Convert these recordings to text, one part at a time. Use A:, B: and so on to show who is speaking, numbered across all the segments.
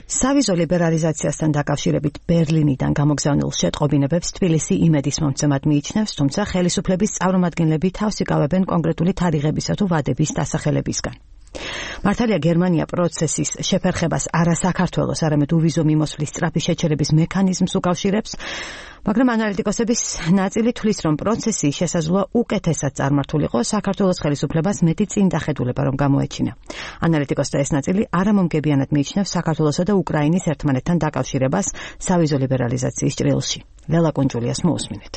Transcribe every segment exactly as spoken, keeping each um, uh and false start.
A: სავიზო ლიბერალიზაციასთან დაკავშირებით ბერლინიდან გამოგზავნილ შეტყობინებებს თბილისი იმედის მომცემად მიიჩნევს, თუმცა ხელისუფლების წარმომადგენლები თავს იკავებენ კონკრეტული თარიღებისა თუ ვადების დასახელებისგან. მართალია გერმანია პროცესის შეფერხებას არა საქართველოს, არამედ უვიზო მიმოსვლის სწრაფი შეჩერების მექანიზმს უკავშირებს, მაგრამ ანალიტიკოსების ნაწილი თვლის, რომ პროცესი შესაძლოა უკეთესად წარმართულიყო საქართველოს ხელისუფლებას მეტი წინდახედულება რომ გამოეჩინა. ანალიტიკოსთა ეს ნაწილი არამომგებიანად მიიჩნევს საქართველოსა და უკრაინის ერთმანეთთან დაკავშირებას სავიზო ლიბერალიზაციის ჭრილში. ლელა კუნჯულიას მოусმინეთ.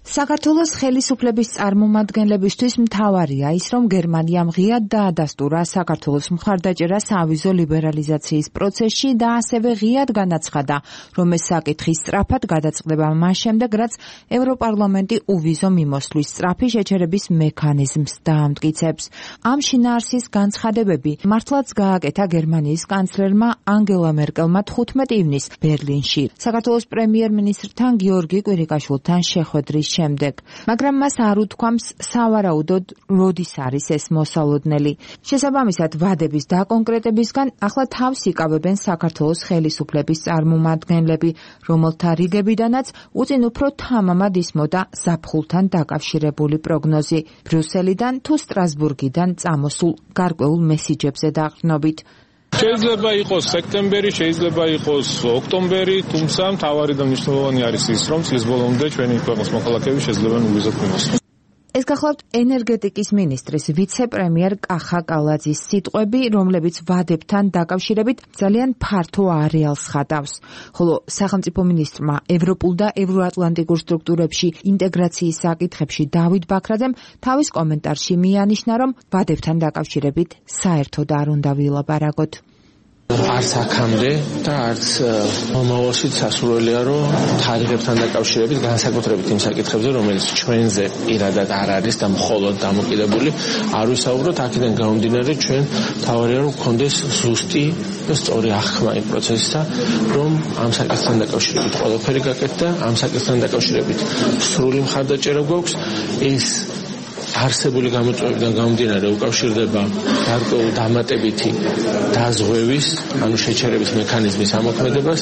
B: საქართველოს ხელისუფლების წარმომადგენლებისთვის მთავარია ის, რომ გერმანიამ ღიად დაადასტურა საქართველოს მხარდაჭერა სავიზო ლიბერალიზაციის პროცესში და ასევე ღიად განაცხადა, რომ ეს საკითხი სწრაფად გადაწყდება მას შემდეგ, რაც ევროპარლამენტი უვიზო მიმოსვლის სწრაფი შეჩერების მექანიზმს დაამტკიცებს. ამ შინაარსის განცხადებები მართლაც გააკეთა გერმანიის კანცლერმა ანგელა მერკელმა თხუთმეტი ივნისს ბერლინში, საქართველოს პრემიერ-მინისტრთან გიორგი კვირიკაშვილთან შეხვედრის შემდეგ, მაგრამ მას არ უთქვამს სავარაუდოდ როდის არის ეს მოსალოდნელი. შესაბამისად, ვადების დაკონკრეტებისგან ახლა თავს იკავებენ საქართველოს ხელისუფლების წარმომადგენლები, რომელთა რიგებიდანაც უწინ უფრო თამამად ისმოდა ზაფხულთან დაკავშირებული პროგნოზი, ბრიუსელიდან თუ სტრასბურგიდან წამოსულ გარკვეულ მესიჯებზე დაყრდნობით.
C: შეიძლება იყოს სექტემბერი, შეიძლება იყოს ოქტომბერი, თუმცა მთავარი და მნიშვნელოვანი არის ის, რომ წლის ბოლომდე ჩვენი ქვეყნის მოქალაქეები შეძლებენ უვიზოდ მიმოსვლა.
B: ეს გახლავთ ენერგეტიკის მინისტრის ვიცე-პრემიერ კახა კალაძის სიტყვები, რომლებიც ვადებთან დაკავშირებით ძალიან ფართო არეალს ხატავს. ხოლო სახელმწიფო მინისტრმა ევროპულ და ევროატლანტიკურ სტრუქტურებში ინტეგრაციის საკითხებში დავით ბაქრაძემ თავის კომენტარში მიანიშნა, რომ ვადებთან დაკავშირებით საერთოდ არ უნდა ვილაპარაკოთ.
D: არც აქამდე და არც მომავალშიც სასურველია, რომ თარიღებთან დაკავშირებით განსაკუთრებით იმ საკითხებზე, რომელიც ჩვენზე პირადად არ არის და მხოლოდ დამოკიდებული, არ ვისაუბროთ. აქედან გამომდინარე, ჩვენ თავარია რომ გქონდეს ზუსტი და სწორი აღქმა იმ პროცესისა, რომ ამ საკითხთან დაკავშირებით ყველაფერი გაკეთდა, ამ საკითხთან დაკავშირებით სრული მხარდაჭერა გვაქვს. ეს არსებული გამოწვევებიდან გამომდინარე უკავშირდება გარკვეულ დამატებითი დაზღვევის, ანუ შეჩერების მექანიზმის ამოქმედებას.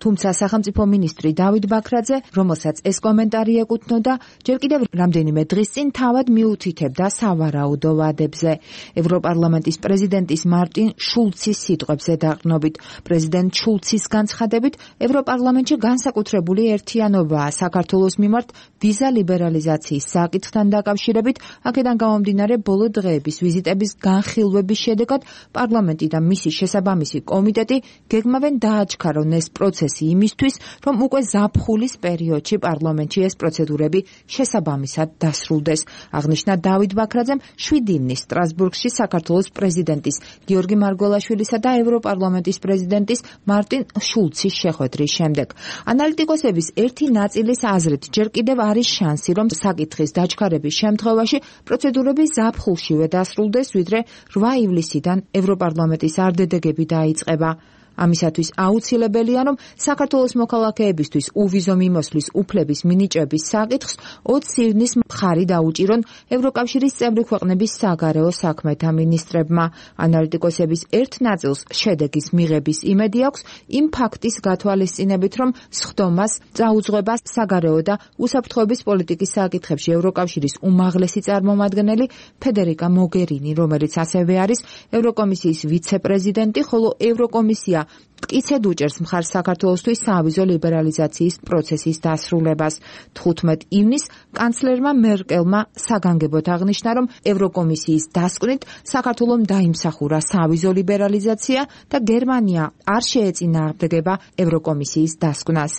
B: თუმცა სახელმწიფო მინისტრი დავით ბაქრაძე, რომელსაც ეს კომენტარი ეკუთვნოდა, ჯერ კიდევ რამდენიმე დღის წინ თავად მიუთითებდა სავარაუდო ვადებზე. ევროპარლამენტის პრეზიდენტის მარტინ შულცის სიტყვებზე დაყრდნობით. პრეზიდენტ შულცის განცხადებით, ევროპარლამენტში განსაკუთრებული ერთიანობაა საქართველოს მიმართ ვიზა ლიბერალიზაციის საკითხთან დაკავშირებით. აქედან გამომდინარე, ბოლო დღეების ვიზიტების განხილვების შედეგად პარლამენტი და მისი შესაბამისი კომიტეტი გეგმავენ დააჩქარონ ეს პროცესი იმისთვის, რომ უკვე ზაფხულის პერიოდში პარლამენტში ეს პროცედურები შესაბამისად დასრულდეს. აღნიშნა დავით ბაქრაძემ შვიდი ივნისს სტრასბურგში საქართველოს პრეზიდენტის გიორგი მარგველაშვილისა და ევროპარლამენტის პრეზიდენტის მარტინ შულცის შეხვედრის შემდეგ. ანალიტიკოსების ერთი ნაწილის აზრით, ჯერ კიდევ არის შანსი, რომ საკითხის დაჩქარების შემთხვევაში პროცედურები ზაფხულშივე დასრულდეს, ვიდრე რვა ივლისიდან ევროპარლამენტის არდედეგები დაიწყება. ამისათვის აუცილებელია, რომ საქართველოს მოქალაქეებისთვის უვიზო მიმოსვლის უფლების მინიჭების საკითხს ოცი ივნისს მხარი დაუჭირონ ევროკავშირის წევრი ქვეყნების საგარეო საქმეთა მინისტრებმა. ანალიტიკოსების ერთ ნაწილს შედეგის მიღების იმედი აქვს იმ ფაქტის გათვალისწინებით, რომ სხდომას წაუძღვება საგარეო და უსაფრთხოების პოლიტიკის საკითხებში ევროკავშირის უმაღლესი წარმომადგენელი ფედერიკა მოგერინი, რომელიც ასევე არის ევროკომისიის ვიცე-პრეზიდენტი, ხოლო ევროკომისია მტკიცედ უჭერს მხარს საქართველოსთვის სავიზო ლიბერალიზაციის პროცესის დასრულებას. თხუთმეტი ივნისს კანცლერმა მერკელმა საგანგებოდ აღნიშნა, რომ ევროკომისიის დასკვნით საქართველომ დაიმსახურა სავიზო ლიბერალიზაცია და გერმანია არ შეეწინააღმდეგება ევროკომისიის დასკვნას.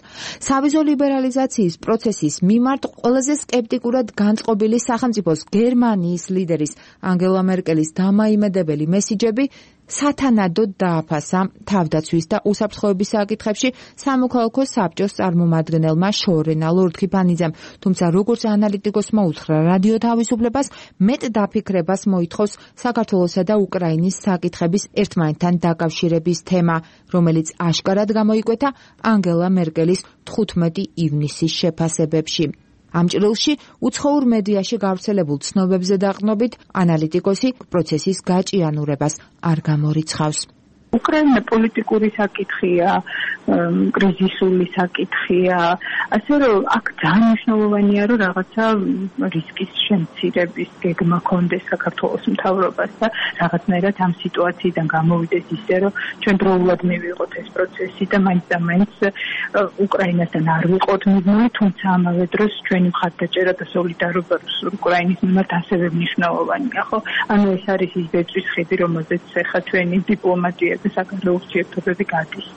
B: სავიზო ლიბერალიზაციის პროცესის მიმართ ყველაზე სკეპტიკურად განწყობილი სახელმწიფოს გერმანიის ლიდერის ანგელა მერკელის დამაიმედებელი მესიჯები სათანადოდ დააფასა თავდაცვის და უსაფრთხოების საკითხებში სამოქალაქო საბჭოს წარმომადგენელმა შორენა ლორდ-ქიფანიძემ, თუმცა როგორც ანალიტიკოსმა უთხრა რადიო თავისუფლებას, მეტ დაფიქრებას მოითხოვს საქართველოსა და უკრაინის საკითხების ერთმანეთთან დაკავშირების თემა, რომელიც აშკარად გამოიკვეთა ანგელა მერკელის თხუთმეტი ივნისის შეფასებებში. ამ ჭრილში უცხოურ მედიაში გავრცელებულ ცნობებზე დაყრდნობით ანალიტიკოსი პროცესის გაჭიანურებას არ გამორიცხავს.
E: უკრაინა პოლიტიკური საკითხია, კრიზისული საკითხია, ასე რომ აქ ძალიან მნიშვნელოვანია, რომ რაღაცა რისკის შემცირების გეგმა კონდეს საქართველოს მთავრობას და რაღაცნაირად ამ სიტუაციიდან გამოვიდეს ისე, რომ ჩვენ დროულად მივიღოთ ეს პროცესი და მაინც და მაინც უკრაინასთან არ ვიყოთ მიზნული, თუმცა ამავე დროს ჩვენი მხარდაჭერა და სოლიდარობა უკრაინის მიმართ ასევე მნიშვნელოვანია, ხო? ანუ ეს არის ის ბეწვის ხიდი, რომელზეც ახლა ჩვენი დიპლომატია და საგარეო ურთიერთობები გადის.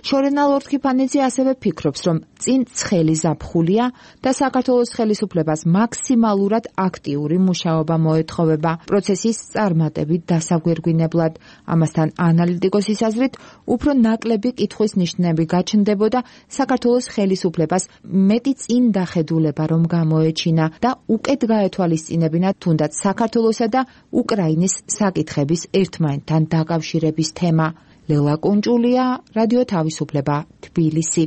B: შორენა ლორდ-ქიფანიძე ასევე ფიქრობს, რომ წინ ცხელი ზაფხულია და საქართველოს ხელისუფლებას მაქსიმალურად აქტიური მუშაობა მოეთხოვება პროცესის წარმატებით დასაგვირგვინებლად. ამასთან ანალიტიკოსის აზრით, უფრო ნაკლები კითხვის ნიშნები გაჩნდებოდა საქართველოს ხელისუფლებას მეტი წინ დახედულება რომ გამოეჩინა და უკეთ გაეთვალისწინებინა თუნდაც საქართველოსა და უკრაინის საკითხების ერთმანეთთან დაკავშირების თემა. ლელა კუნჭულია, რადიო თავისუფლება, თბილისი.